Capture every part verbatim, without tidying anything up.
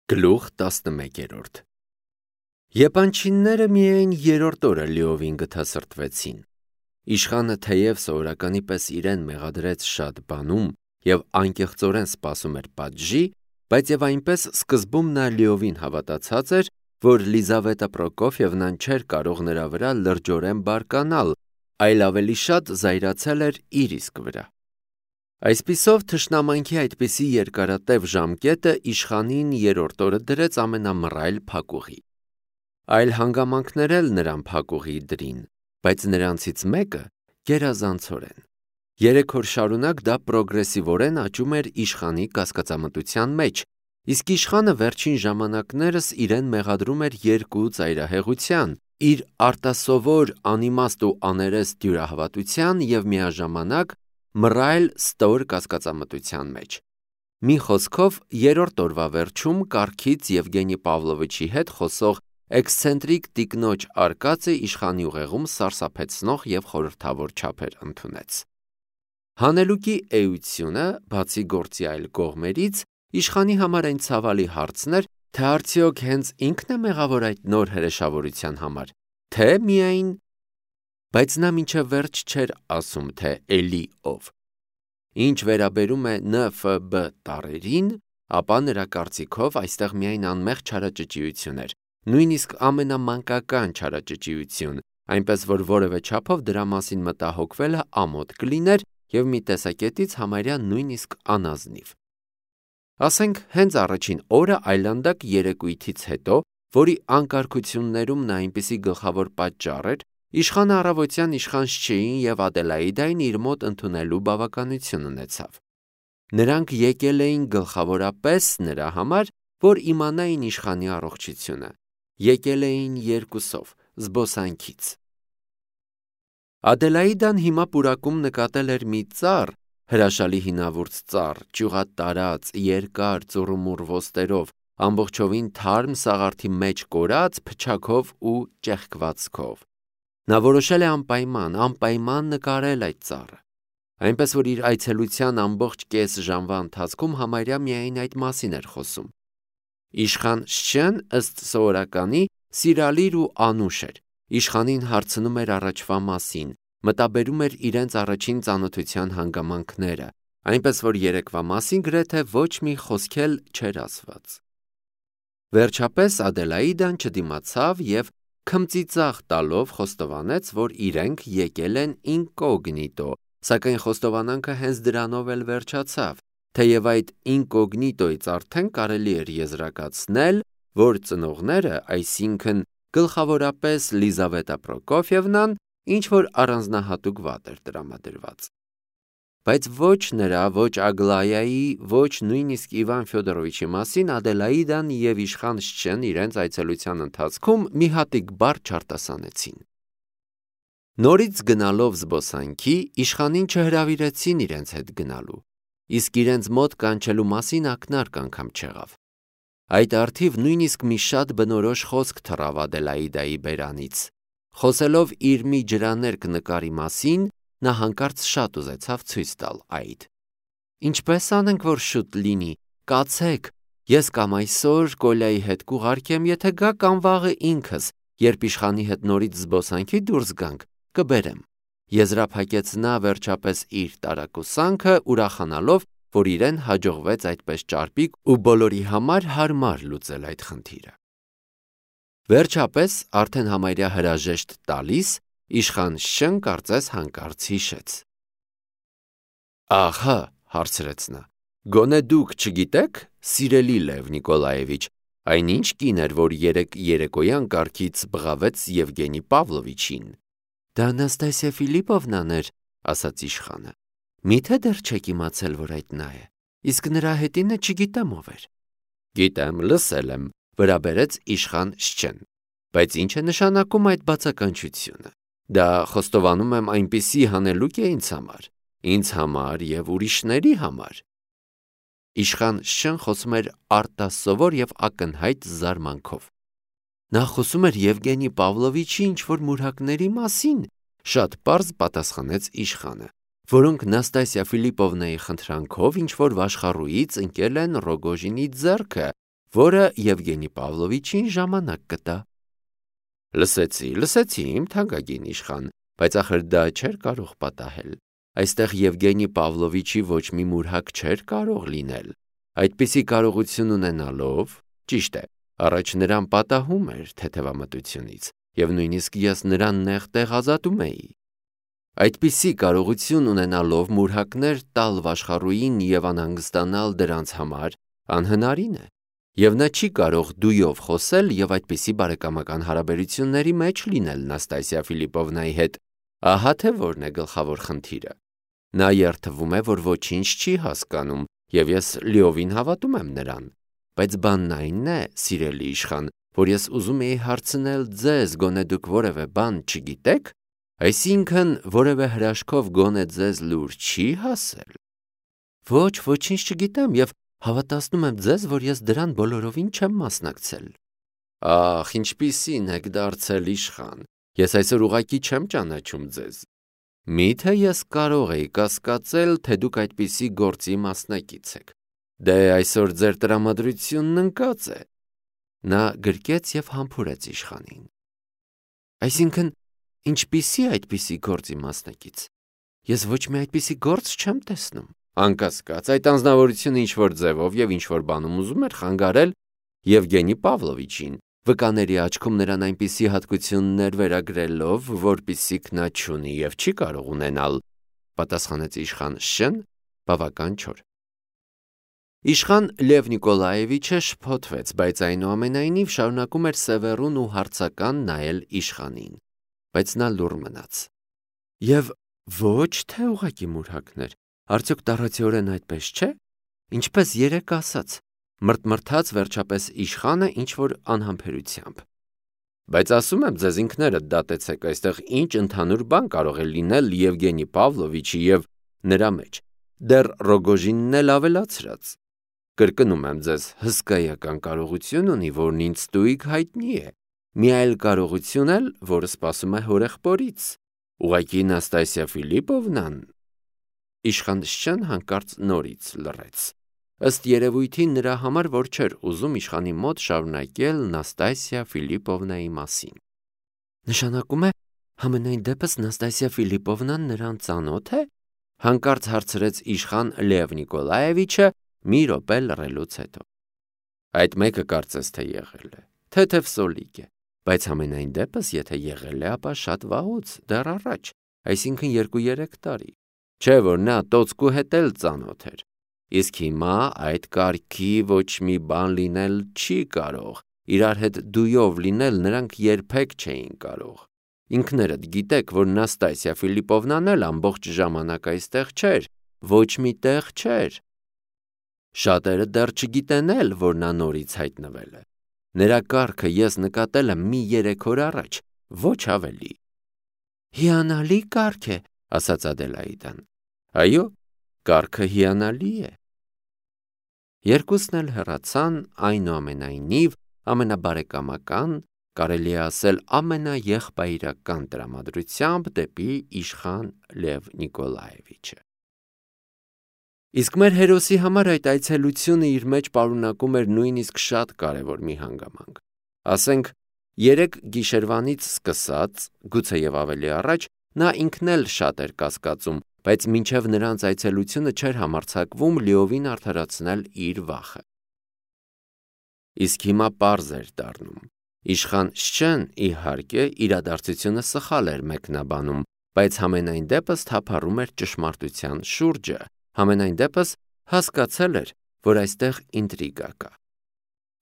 Գլուխ տասնմեկերորդ Եփանչինները միայն երրորդ օրը լիովին գթասրտվեցին։ Իշխանը թեև սովորականի պես իրեն մեղադրեց շատ բանում և անկեղծորեն սպասում էր պատժի, բայց և այնպես սկզբում նա լիովին հավատացած էր, որ Լիզավետա Պրոկոֆիևնան չէր կարող նրա վրա լրջորեն բարկանալ, այլ ավելի շատ զայրացել էր իր իսկ վրա։ Այսպիսով թշնամանքի այդպիսի երկարատև ժամկետը իշխանին երրորդ օրը դրեց ամենամռայլ փակուղի։ Այլ հանգամանքներ էլ նրան փակուղի դրին, բայց նրանցից մեկը գերազանցորեն։ Երեք օր շարունակ դա պրոգրեսիվորեն աճում էր իշխանի կասկածամտության մեջ, իսկ իշխանը վերջին ժամանակներս իրեն մեղադրում էր երկու ծայրահեղության՝ իր արտասովոր, անիմաստ ու աներես դյուրահավատության և միաժամանակ մռայլ ստոր կասկածամտության մեջ։ Մի խոսքով, երրորդ օրվա վերջում կառքից Եվգենի Պավլովիչի հետ խոսող էքսցենտրիկ տիկնոջ արկածը իշխանի ուղեղում սարսափեցնող և խորհրդավոր չափեր ընդունեց։ Հանելուկի էությունը, բացի գործի այլ կողմերից, իշխանի համար այն ցավալի հարցն էր, թե արդյոք հենց ինքն է մեղավոր այդ նոր հրեշավորության համար, թե միայն… Բայց նա մինչև վերջ չէր ասում, թե էլի ով։ Ինչ վերաբերում է Ն Ֆ B տառերին, ապա նրա կարծիքով այստեղ միայն անմեղ չարաճճիություն էր, նույնիսկ ամենամանկական չարաճճիություն, այնպես որ որևէ չափով դրա մասին մտահոգվելը ամոթ կլիներ և մի տեսակետից համարյա նույնիսկ անազնիվ։ Ասենք հենց առաջին օրը այլանդակ երեկույթից հետո, որի անկարգություններում նա այնպիսի գլխավոր պատճառ էր, իշխանը առավոտյան իշխան Շչեին և Ադելաիդային իր մոտ ընդունելու բավականություն ունեցավ։ Նրանք եկել էին գլխավորապես նրա համար, որ իմանային իշխանի առողջությունը, եկել էին երկուսով, զբոսանքից։ Ադելաիդան հիմա պուրակում նկատել էր մի ծառ, հրաշալի հինավուրց ծառ, ճյուղատարած, երկար, ծուռումուռ ոստերով, ամբողջովին թարմ սաղարթի մեջ կորած, փչաքով ու ճեղքվածքով։ Նա որոշել է անպայման, անպայման նկարել այդ ծառը։ Այնպես որ իր այցելության ամբողջ կես ժամվա ընթացքում համարյա միայն այդ մասին էր խոսում։ Իշխան Շչեն, ըստ սովորականի, սիրալիր ու անուշ էր, իշխանին հարցնում էր առաջվա մասին, մտաբերում էր իրենց առաջին ծանոթության հանգամանքները, այնպես որ երեկվա մասին գրեթե ոչ մի խոսք էլ չէր ասված։ Վերջապես Ադելաիդան չդիմացավ և քմծիծաղ տալով խոստովանեց, որ իրենք եկել են ինկոգնիտո, սակայն խոստովանանքը հենց դրանով էլ վերջացավ, թեև այդ ինկոգնիտոյից արդեն կարելի էր եզրակացնել, որ ծնողները, այսինքն գլխավորապես Լիզավետա Պրոկոֆիևնան, ինչ-որ առանձնահատուկ վատ էր տրամադրված։ Բայց ոչ նրա, ոչ Ագլայայի, ոչ նույնիսկ Իվան Ֆյոդորովիչի մասին Ադելաիդան և իշխան Շչեն իրենց այցելության ընթացքում մի հատիկ բառ չարտասանեցին։ Նորից գնալով զբոսանքի, իշխանին չհրավիրեցին իրենց հետ գնալու, իսկ իրենց մոտ կանչելու մասին ակնարկ անգամ չեղավ։ Այդ առթիվ նույնիսկ մի շատ բնորոշ խոսք թռավ Ադելաիդայի բերանից։ Խոսելով իր մի ջրաներկ նկարի մասին, նա հանկարծ շատ ուզեցավ ցույց տալ այդ։ Ինչպե՞ս անենք, որ շուտ լինի, կացեք, ես կամ այսօր Կոլյայի հետ կուղարկեմ, եթե գա կամ վաղը ինքս, երբ իշխանի հետ նորից զբոսանքի դուրս գանք, կբերեմ։ Եզրափակեց նա վերջապես իր տարակուսանքը, ուրախանալով, որ իրեն հաջողվեց այդպես ճարպիկ ու բոլորի համար հարմար լուծել այդ խնդիրը։ Վերջապես, արդեն համարյա հրաժեշտ տալիս, իշխան Շչեն կարծես հանկարծ հիշեց։ Ահա, հարցրեց նա, գոնե դուք չգիտեք, սիրելի Լև Նիկոլաևիչ, այն ինչ կին էր, որ երեկ երեկոյան կառքից բղավեց Եվգենի Պավլովիչին։ Դա Նաստասիա Ֆիլիպովնան էր, ասաց իշխանը։ Միթե դեռ չեք իմացել, որ այդ նա է, իսկ նրա հետինը չգիտեմ ով էր։ Գիտեմ, լսել եմ, վրա բերեց իշխան Շչեն, բայց ինչ է նշանակում այդ բացականչությունը։ Դա խոստովանում եմ այնպիսի հանելուկ է ինձ համար, ինձ համար և ուրիշների համար։ Իշխան Շչեն խոսում էր արտասովոր և ակնհայտ զարմանքով։ Նա խոսում էր Եվգենի Պավլովիչի ինչ-որ մուրհակների մասին, շատ պարզ պատասխանեց իշխանը, որոնք Նաստասիա Ֆիլիպովնայի խնդրանքով ինչ-որ վաշխառուից ընկել են Ռոգոժինի ձեռքը որը Եվգենի Պավլովիչին ժամանակ կտա։ Լսեցի, լսեցի, իմ թանկագին իշխան, բայց ախր դա չէր կարող պատահել։ Այստեղ Եվգենի Պավլովիչի ոչ մի մուրհակ չէր կարող լինել։ Այդպիսի կարողություն ունենալով, ճիշտ է, առաջ նրան պատահում էր թեթևամտությունից, և նույնիսկ ես նրան նեղ տեղ ազատում էի։ Այդպիսի կարողություն ունենալով մուրհակներ տալ վաշխառուին և անհանգստանալ դրանց համար անհնարին է, և նա չի կարող դույով խոսել և այդպիսի բարեկամական հարաբերությունների մեջ լինել Նաստասիա Ֆիլիպովնայի հետ, ահա թե որն է գլխավոր խնդիրը։ Նա երդվում է, որ ոչինչ չի հասկանում, և ես լիովին հավատում եմ նրան, բայց բանն այն է, սիրելի իշխան, որ ես ուզում էի հարցնել ձեզ, գոնե դուք որևէ բան չգիտեք, այսինքն որևէ հրաշքով գոնե ձեզ լուր չի հասել։ Ոչ, ոչինչ չգիտեմ և հավատացնում եմ ձեզ, որ ես դրան բոլորովին չեմ մասնակցել։ Ախ, ինչպիսին եք դարձել իշխան, ես այսօր ուղղակի չեմ ճանաչում ձեզ։ Միթե ես կարող էի կասկածել, թե դուք այդպիսի գործի մասնակից եք։ Դե այսօր ձեր տրամադրությունն ընկած է։ Նա գրկեց և համբուրեց իշխանին։ Այսինքն, ինչպիսի այդպիսի գործի մասնակից։ Ես ոչ մի այդպիսի գործ չեմ տեսնում։ Անկասկած, այդ անձնավորությունը ինչ-որ ձևով և ինչ-որ բանում ուզում էր խանգարել Եվգենի Պավլովիչին, վկաների աչքում նրան այնպիսի հատկություններ վերագրելով, որպիսիք նա չունի և չի կարող ունենալ, պատասխանեց իշխան Շ-ն բավական չոր։ Իշխան Լև Նիկոլաևիչը շփոթվեց, բայց այնուամենայնիվ շարունակում էր սևեռուն ու հարցական նայել իշխանին, բայց նա լուռ մնաց։ Եվ ոչ թե ուղղակի մուրհակներ, արդյոք տառացիորեն այդպես չէ, ինչպես երեկ ասաց, մրթմրթաց վերջապես իշխանը ինչ-որ անհամբերությամբ։ Բայց ասում եմ ձեզ, ինքներդ դատեցեք, այստեղ ինչ ընդհանուր բան կարող է լինել Եվգենի Պավլովիչի և նրա մեջ, դեռ Ռոգոժինն էլ ավելացրած։ Կրկնում եմ ձեզ, հսկայական կարողություն ունի, որն ինձ ստույգ հայտնի է, մի այլ կարողություն էլ, որը սպասում է հորեղբորից, ուղղակի Նաստասիա Ֆիլիպովնան։ Իշխան Շ-ն հանկարծ նորից լռեց։ Ըստ երևույթի նրա համար որ չէր ուզում իշխանի մոտ շարունակել Նաստասիա Ֆիլիպովնայի մասին։ Նշանակում է, համենայն դեպս Նաստասիա Ֆիլիպովնան նրան ծանոթ է, հանկարծ հարցրեց իշխան Լև Նիկոլաևիչը մի րոպե լռելուց հետո։ Այդ մեկը կարծես թե եղել է, թեթև սոլիկ է, բայց համենայն դեպս եթե եղել է, ապա շատ վաղուց, դեռ առաջ, այսինքն երկու-երեք տարի, չէ որ նա տոցկու հետ էլ ծանոթ էր, իսկ հիմա այդ կարգի ոչ մի բան լինել չի կարող, իրար հետ դույով լինել նրանք երբեք չէին կարող։ Ինքներդ գիտեք, որ Նաստասիա Ֆիլիպովնան էլ ամբողջ ժամանակ այստեղ չէր, ոչ մի տեղ չէր։ Շատերը դեռ չգիտեն էլ, որ նա նորից հայտնվել է։ Նրա կարգը ես նկատել եմ մի երեք օր առաջ, ոչ ավելի։ Հիանալի կարգ է, ասաց Ադելաիդան։ Այո, կարգը հիանալի է։ Երկուսն էլ հեռացան, այնուամենայնիվ ամենաբարեկամական, կարելի է ասել ամենաեղբայրական տրամադրությամբ դեպի իշխան Լև Նիկոլաևիչը։ Իսկ մեր հերոսի համար այդ այցելությունը իր մեջ պարունակում էր նույնիսկ շատ կարևոր մի հանգամանք։ Ասենք, երեք գիշերվանից սկսած, գուցեև ավելի առաջ, նա ինքն էլ շատ էր կասկածում, բայց մինչև նրանց այցելությունը չէր համարձակվում լիովին արդարացնել իր վախը։ Իսկ հիմա պարզ էր դառնում։ Իշխան Շ-ն, իհարկե, իրադարձությունը սխալ էր մեկնաբանում, բայց համենայն դեպս թափառում էր ճշմարտության շուրջը, համենայն դեպս հասկացել էր, որ այստեղ ինտրիգա կա։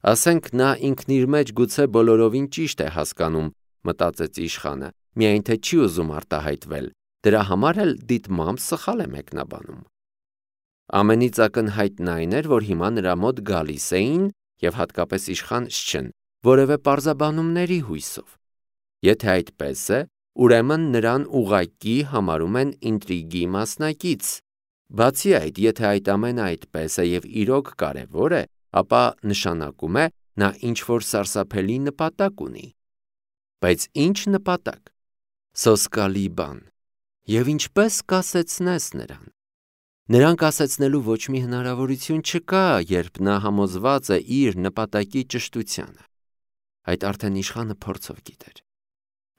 Ասենք նա ինքն իր մեջ գուցե բոլորովին ճիշտ է հասկանում, մտածեց իշխանը, միայն թե չի ուզում արտահայտվել, դրա համար էլ դիտմամբ սխալ է մեկնաբանում։ Ամենից ակնհայտն այն էր, որ հիմա նրա մոտ գալիս էին, և հատկապես իշխան Շ-ն, որևէ պարզաբանումների հույսով։ Եթե այդպես է, ուրեմն նրան ուղղակի համարում են ինտրիգի մասնակից։ Բացի այդ, եթե այդ ամենը այդպես է և իրոք կարևոր է, ապա նշանակում է, նա ինչ-որ սարսափելի նպատակ ունի։ Բայց ինչ նպատակ։ Սոսկալի բան։ Եվ ինչպես կասեցնես նրան։ Նրան կասեցնելու ոչ մի հնարավորություն չկա, երբ նա համոզված է իր նպատակի ճշտությանը։ Այդ արդեն իշխանը փորձով գիտեր։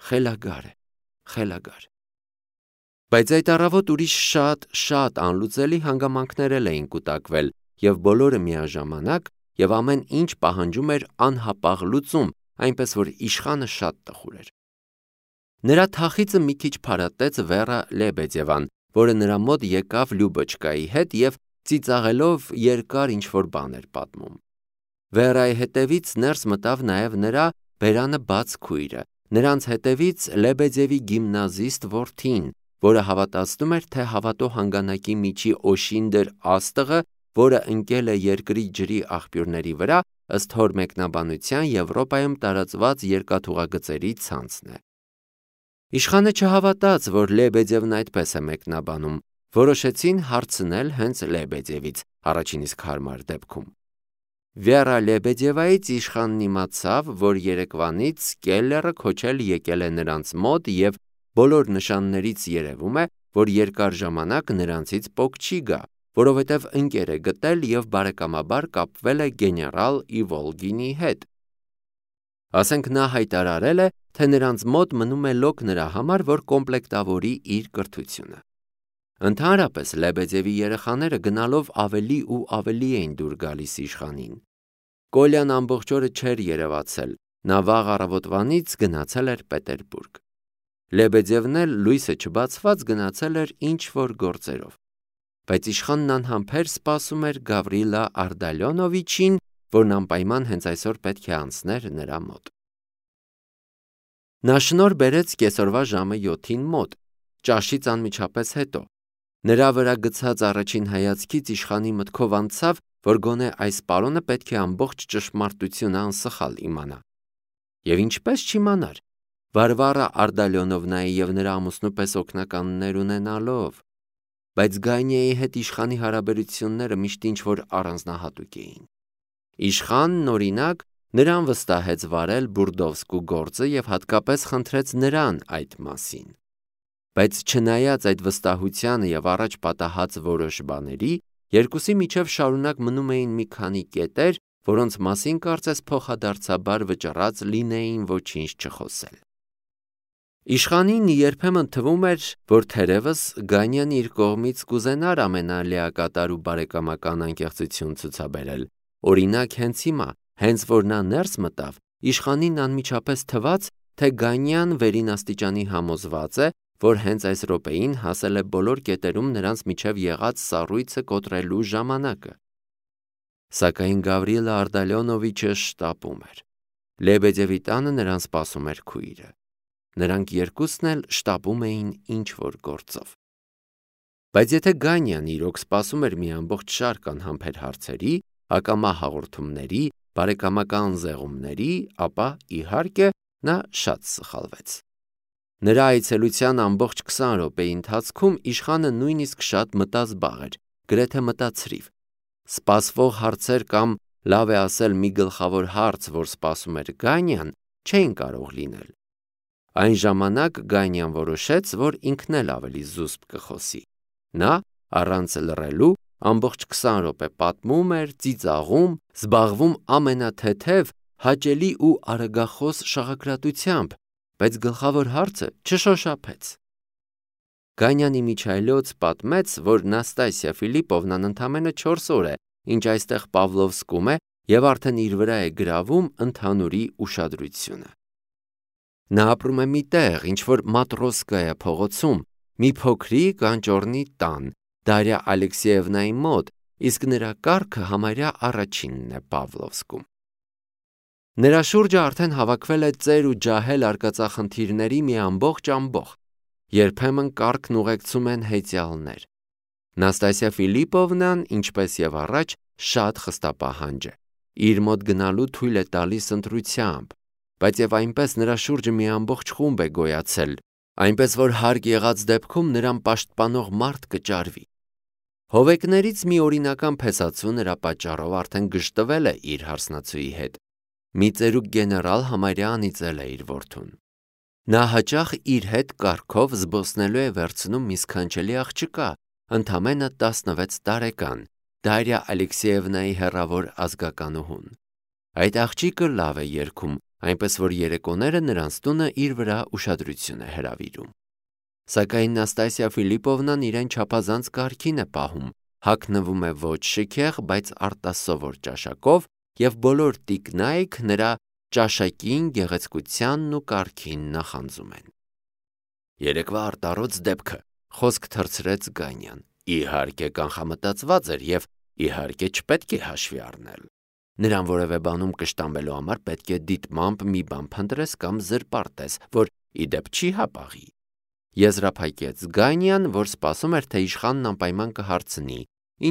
Խելագար է, խելագար։ Բայց այդ առավոտ ուրիշ շատ, շատ անլուծելի հանգամանքներ էին կուտակվել, և բոլորը միաժամանակ, և ամեն ինչ պահանջում էր անհապաղ լուծում, այնպես որ իշխանը շատ տխուր էր։ Նրա թախիծը մի քիչ փարատեց Վերա Լեբեդևան, որը նրա մոտ եկավ Լյուբոչկայի հետ և ծիծաղելով երկար ինչ-որ բան էր պատմում։ Վերայի հետևից ներս մտավ նաև նրա բերանը բաց քույրը, նրանց հետևից Լեբեդևի գիմնազիստ որդին, որը հավատացնում էր, թե հավատո հանգանակի միջի Օշինդր աստղը, որը ընկել է երկրի ջրի աղբյուրների վրա, ըստ հոր մեկնաբանության Եվրոպայում տարածված երկաթուղագծերի ցանցն է։ Իշխանը չհավատաց, որ Լեբեդևն այդպես է մեկնաբանում, որոշեցին հարցնել հենց Լեբեդևից, առաջին իսկ հարմար դեպքում։ Վերա Լեբեդևայից իշխանն իմացավ, որ երեկվանից կելլերը քոչել եկել է նրանց մոտ և բոլոր նշաններից երևում է, որ երկար ժամանակ նրանցից պոկ չի գա, որովհետև ընկեր է գտել և բարեկամաբար կապվել է գեներալ Իվոլգինի հետ։ Ասենք նա հայտարարել է, թե նրանց մոտ մնում է լոկ նրա համար, որ կոմպլեկտավորի իր կրթությունը։ Ընդհանրապես Լեբեդևի երեխաները գնալով ավելի ու ավելի էին դուր գալիս իշխանին։ Կոլյան ամբողջ օրը չէր երևացել, նա վաղ առավոտվանից գնացել էր Պետերբուրգ։ Լեբեդևն էլ լույսը չբացված գնացել էր ինչ-որ գործերով։ Բայց իշխանն անհամբեր սպասում էր Գավրիլա Արդալյոնովիչին, որն անպայման հենց այսօր պետք է անցներ նրա մոտ։ Նա շնորհ բերեց կեսօրվա ժամը յոթին մոտ, ճաշից անմիջապես հետո։ Նրա վրա գցած առաջին հայացքից իշխանի մտքով անցավ, որ գոնե այս պարոնը պետք է ամբողջ ճշմարտությունը անսխալ իմանա։ Եվ ինչպես չիմանար, Վարվարա Արդալյոնովնայի և նրա ամուսնու պես օգնականներ ունենալով, բայց Գանիայի հետ իշխանի հարաբերությունները միշտ ինչ-որ առանձնահատուկ էին։ Իշխանն, օրինակ, նրան վստահեց վարել Բուրդովսկու գործը և հատկապես խնդրեց նրան այդ մասին։ Բայց չնայած այդ վստահությանը և առաջ պատահած որոշ բաների, երկուսի միջև շարունակ մնում էին մի քանի կետեր, որոնց մասին կարծես փոխադարձաբար վճռած լինեին ոչինչ չխոսել։ Իշխանին երբեմն թվում էր, որ թերևս Գանյան իր կողմից կուզենար ամենալիակատար ու բարեկամական անկեղծություն ցուցաբերել։ Օրինակ հենց հիմա, հենց որ նա ներս մտավ, իշխանին անմիջապես թվաց, թե Գանյան վերին աստիճանի համոզված է, որ հենց այս րոպեին հասել է բոլոր կետերում նրանց միջև եղած սառույցը կոտրելու ժամանակը։ Սակայն Գավրիլա Արդալյոնովիչը շտապում էր։ Լեբեդևի տանը նրան սպասում էր քույրը։ Նրանք երկուսն էլ շտապում էին ինչ-որ գործով։ Բայց եթե Գանյան իրոք սպասում էր մի ամբողջ շարք անհամբեր հարցերի, ակամա հաղորդումների, բարեկամական զեղումների, ապա, իհարկե, նա շատ սխալվեց։ Նրա այցելության ամբողջ քսան րոպեի ընթացքում իշխանը նույնիսկ շատ մտազբաղ էր, գրեթե մտացրիվ։ Սպասվող հարցեր կամ, լավ է ասել, մի գլխավոր հարց, որ սպասում էր Գանյան, չէին կարող լինել։ Այն ժամանակ Գանյան որոշեց, որ ինքն էլ ավելի զուսպ կխոսի։ Նա, առանց լռելու, ամբողջ քսան րոպե պատմում էր, ծիծաղում, զբաղվում ամենաթեթև, հաճելի ու արագախոս շաղակրատությամբ, բայց գլխավոր հարցը չշոշափեց։ Գանյանի միջայլոց պատմեց, որ Նաստասիա Ֆիլիպովնան ընդամենը չորս օր է, ինչ այստեղ Պավլովսկում է և արդեն իր վրա է գրավում ընդհանուրի ուշադրությունը։ Նա ապրում է մի տեղ, ինչ-որ Մատրոսկայա փողոցում, մի փոքրիկ անճոռնի տան, Դարյա Ալեքսեևնայի մոտ, իսկ նրա կառքը համարյա առաջինն է Պավլովսկում։ Նրա շուրջը արդեն հավաքվել է ծեր ու ջահել արկածախնդիրների մի ամբողջ ամբոխ, երբեմն կառքն ուղեկցում են հեծյալներ։ Նաստասիա Ֆիլիպովնան, ինչպես և առաջ, շատ խստապահանջ է, իր մոտ գնալու թույլ է տալիս ընտրությամբ, բայց և այնպես նրա շուրջը մի ամբողջ խումբ է գոյացել, այնպես որ հարկ եղած դեպքում նրան պաշտպանող մարդ կճարվի։ Հովեկներից մի օրինական փեսացու նրա պատճառով արդեն գժտվել է իր հարսնացուի հետ։ Մի ծերուկ գեներալ համարյա անիծել է իր որդուն։ Նա հաճախ իր հետ կառքով զբոսնելու է վերցնում մի սքանչելի աղջկա, ընդամենը տասնվեց տարեկան, Դարիա Ալեքսեևնայի հեռավոր ազգականուհուն։ Այդ աղջիկը լավ է երգում, այնպես որ երեկոները նրանց տունը իր վրա ուշադրություն է հրավիրում։ Սակայն Նաստասիա Ֆիլիպովնան իրեն չափազանց կարգին է պահում, հագնվում է ոչ շքեղ, բայց արտասովոր ճաշակով, եւ բոլոր տիկնայք նրա ճաշակին, գեղեցկությանն ու կարգին նախանձում են։ Երեկվա արտառոց դեպքը, խոսք թռցրեց Գանյան, իհարկե կանխամտածված էր եւ իհարկե չպետք է հաշվի առնել։ Նրան որևէ բանում կշտամբելու համար պետք է դիտմամբ մի բան փնտրես կամ զրպարտես, որ ի դեպ չի հապաղի։ Եզրափակեց Գանյան, որ սպասում էր, թե իշխանն անպայման կհարցնի,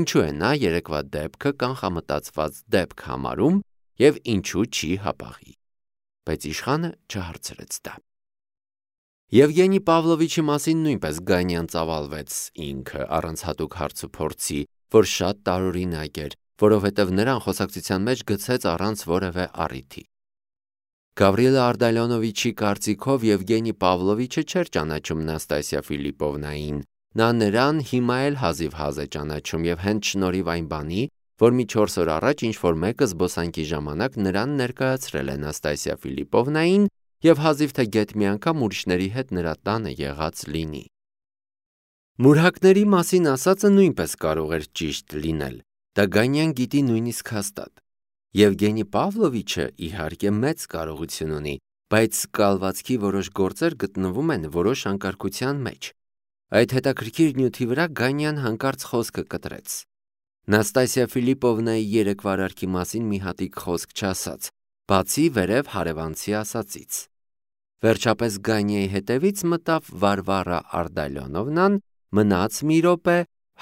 ինչու է նա երեկվա դեպքը կանխամտածված դեպք համարում եւ ինչու չի հապաղի։ Բայց իշխանը չհարցրեց դա։ Եվգենի Պավլովիչի մասին նույնպես Գանյան ծավալվեց ինքը առանց հատուկ հարցուփորձի, որ շատ տարօրինակ էր, որովհետև նրան խոսակցության մեջ գցեց առանց որևէ առիթի։ Գավրիելա Արդալյոնովիչի կարծիքով Եվգենի Պավլովիչը չէր ճանաչում Նաստասիա Ֆիլիպովնային, նա նրան հիմա էլ հազիվ-հազ է ճանաչում եւ հենց շնորհիվ այն բանի, որ մի չորս օր առաջ ինչ-որ մեկը զբոսանքի ժամանակ նրան ներկայացրել է Նաստասիա Ֆիլիպովնային եւ հազիվ թե գեթ մի անգամ ուրիշների հետ նրա տանը եղած լինի։ Մուրհակների մասին ասածը նույնպես կարող էր ճիշտ լինել, դա Գանյան գիտի նույնիսկ հաստատ։ Եվգենի Պավլովիչը իհարկե մեծ կարողություն ունի, բայց կալվածքի որոշ գործեր գտնվում են որոշ անկարգության մեջ։ Այդ հետաքրքիր նյութի վրա Գանյան հանկարծ խոսքը կտրեց։ Նաստասիա Ֆիլիպովնայի երեկվա արարքի մասին մի հատիկ խոսք չասաց, բացի վերև հարևանցի ասածից։ Վերջապես Գանյայի հետևից մտավ Վարվարա Արդալյոնովնան, մնաց մի րոպե,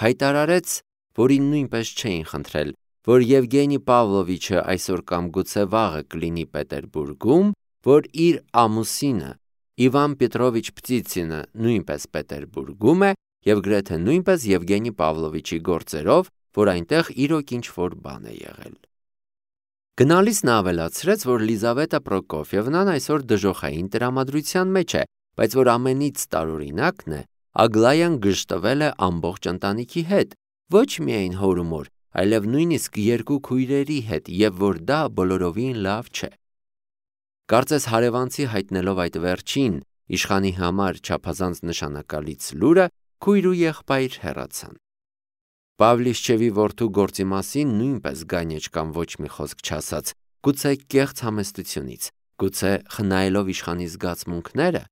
հայտարարեց, որին նույնպես չէին խնդրել, որ Եվգենի Պավլովիչը այսօր կամ գուցե վաղը կլինի Պետերբուրգում, որ իր ամուսինը Իվան Պետրովիչ Պտիցինը նույնպես Պետերբուրգում է եւ գրեթե նույնպես Եվգենի Պավլովիչի գործերով, որ այնտեղ իրոք ինչ-որ բան է եղել։ Գնալիս նա ավելացրեց, որ Լիզավետա Պրոկոֆիևնան այսօր դժոխային տրամադրության մեջ է, բայց որ ամենից տարօրինակն է, Ագլայան գժտվել է ամբողջ ընտանիքի հետ, ոչ միայն հոր ու մոր, այլև նույնիսկ երկու քույրերի հետ, եւ որ դա բոլորովին լավ չէ։ Կարծես հարևանցի հայտնելով այդ վերջին, իշխանի համար չափազանց նշանակալից լուրը, քույր ու եղբայր հեռացան։ Պավլիշչևի որդու գործի մասին նույնպես Գանյեչկան ոչ մի խոսք չասաց, գուցե կեղծ համեստությունից, գուցե խնայելով իշխանի զգացմունքները,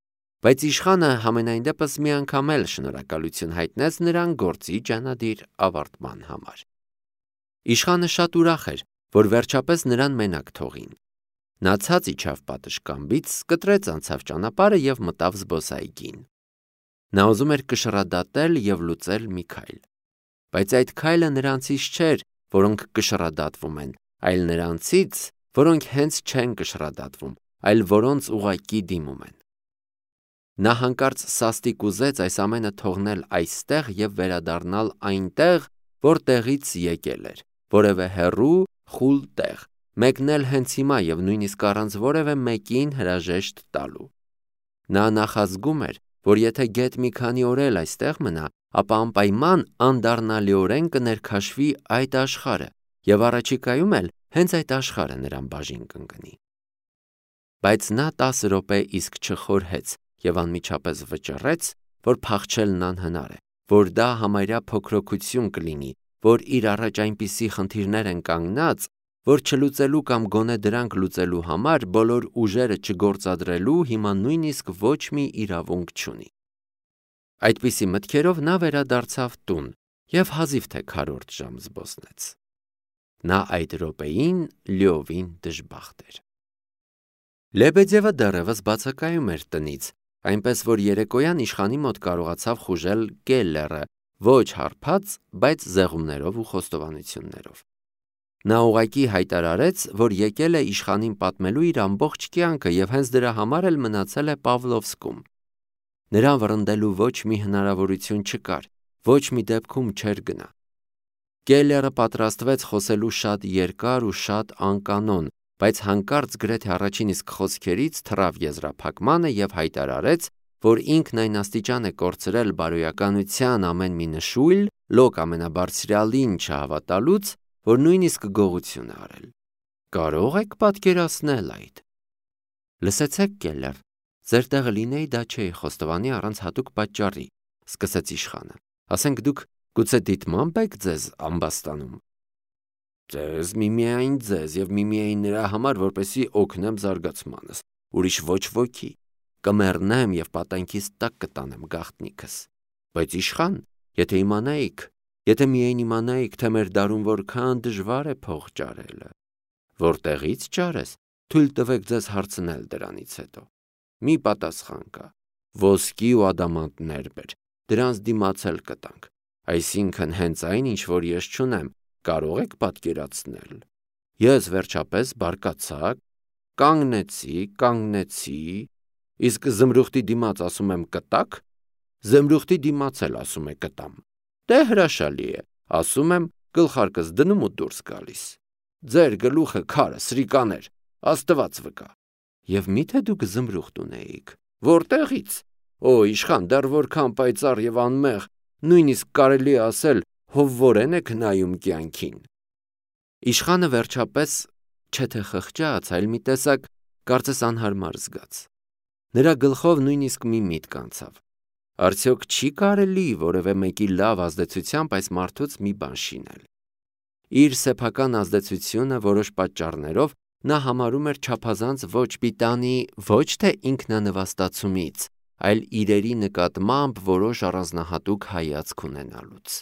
բայց իշխանը համենայն դեպս մի անգամ էլ շնորհակալություն հայտնեց նրան գործի ջանադիր ավարտման համար։ Իշխանը շատ ուրախ էր, որ վերջապես նրան մենակ թողին։ Նա ցած իջավ պատշգամբից, կտրեց անցավ ճանապարհը եւ մտավ զբոսայգին։ Նա ուզում էր կշռադատել եւ լուծել մի քայլ։ Բայց այդ քայլը նրանցից չէր, որոնք կշռադատվում են, այլ նրանցից, որոնք հենց չեն կշռադատվում, այլ որոնց ուղակի դիմում են։ Նա հանկարծ սաստիկ ուզեց այս ամենը թողնել այստեղ եւ վերադառնալ այնտեղ, որտեղից եկել էր, որևէ հեռու, խուլ տեղ, մեկնել հենց հիմա եւ նույնիսկ առանց որևէ մեկին հրաժեշտ տալու։ Նա նախազգում էր, որ եթե գեթ մի քանի օր էլ այստեղ մնա, ապա անպայման անդառնալիորեն կներքաշվի այդ աշխարհը եւ առաջիկայում էլ հենց այդ աշխարհը նրան բաժին կընկնի։ Բայց նա տասը րոպե իսկ չխորհեց եւ անմիջապես վճռեց, որ փախչելն անհնար է, որ դա համարյա փոքրոքություն կլինի, որ իր առաջ այնպիսի խնդիրներ են կանգնած, որ չլուծելու կամ գոնե դրանք լուծելու համար բոլոր ուժերը չգործադրելու հիմա նույնիսկ ոչ մի իրավունք չունի։ Այդպիսի մտքերով նա վերադարձավ տուն եւ հազիվ թե քառորդ ժամ զբոսնեց։ Նա այդ րոպեին լիովին դժբախտ էր։ Լեբեդևը դեռևս բացակայում էր տնից, այնպես որ երեկոյան իշխանի մոտ կարողացավ խուժել Կելլերը, ոչ հարբած, բայց զեղումներով ու խոստովանություններով։ Նա ուղղակի հայտարարեց, որ եկել է իշխանին պատմելու իր ամբողջ կյանքը եւ հենց դրա համար էլ մնացել է Պավլովսկում։ Նրան վռնդելու ոչ մի հնարավորություն չկար, ոչ մի դեպքում չէր գնա։ Կելլերը պատրաստվեց խոսելու շատ երկար ու շատ անկանոն, բայց հանկարծ գրեթե առաջին իսկ խոսքերից թռավ եզրափակմանը եւ հայտարարեց, որ ինքն այն աստիճան է կորցրել բարոյականության ամեն մի նշույլ, լոկ ամենաբարձրալին չհավատալուց, որ նույնիսկ գողություն է արել։ Կարո՞ղ եք պատկերացնել այդ։ Լսեցեք, Կելլեր, ձեր տեղը լինեի, դա չէի խոստովանի առանց հատուկ պատճառի, սկսեց իշխանը։ Ասենք դուք գուցե դիտմամբ եք ձեզ ամբաստանում։ Ձեզ միմիայն ձեզ եւ միմիայն նրա համար, որպեսի օգնեմ զարգացմանս, ուրիշ ոչ ոքի, կմեռնեմ եւ պատանքից տակ կտանեմ գաղտնիքս։ Բայց իշխան, եթե իմանայիք, եթե միայն իմանայիք, թե մեր դարում որքան դժվար է փող ճարելը, որտեղից ճարես, թույլ տվեք ձեզ հարցնել դրանից հետո։ Մի պատասխան կա, ոսկի ու ադամանդներ բեր, դրանց դիմացել կտանք, այսինքն հենց այն, ինչ որ ես չունեմ, կարող եք պատկերացնել։ Ես վերջապես բարկացա, կանգնեցի, կանգնեցի, իսկ զմրուխտի դիմաց ասում եմ կտակ, զմրուխտի դիմաց էլ ասում է կտամ։ Դե հրաշալի է, ասում եմ գլխարկս դնում ու դուրս գալիս։ Ձեր գլուխը քարը, սրիկաներ, Աստված վկա։ Եվ միթե դուք զմրուխտ ունեիք։ Որտեղից։ Օ, իշխան, դեռ որքան պայծառ եւ անմեղ, նույնիսկ կարելի է ասել հովվորեն եք նայում կյանքին։ Իշխանը վերջապես չէ թե խղճաց, այլ մի տեսակ կարծես անհարմար զգաց։ Նրա գլխով նույնիսկ մի միտք անցավ։ Արդյոք չի կարելի որևէ մեկի լավ ազդեցությամբ այս մարդուց մի բան շինել։ Իր սեփական ազդեցությունը որոշ պատճառներով նա համարում էր չափազանց ոչ պիտանի ոչ թե ինքնանվաստացումից, այլ իրերի նկատմամբ որոշ առանձնահատուկ հայացք ունենալուց։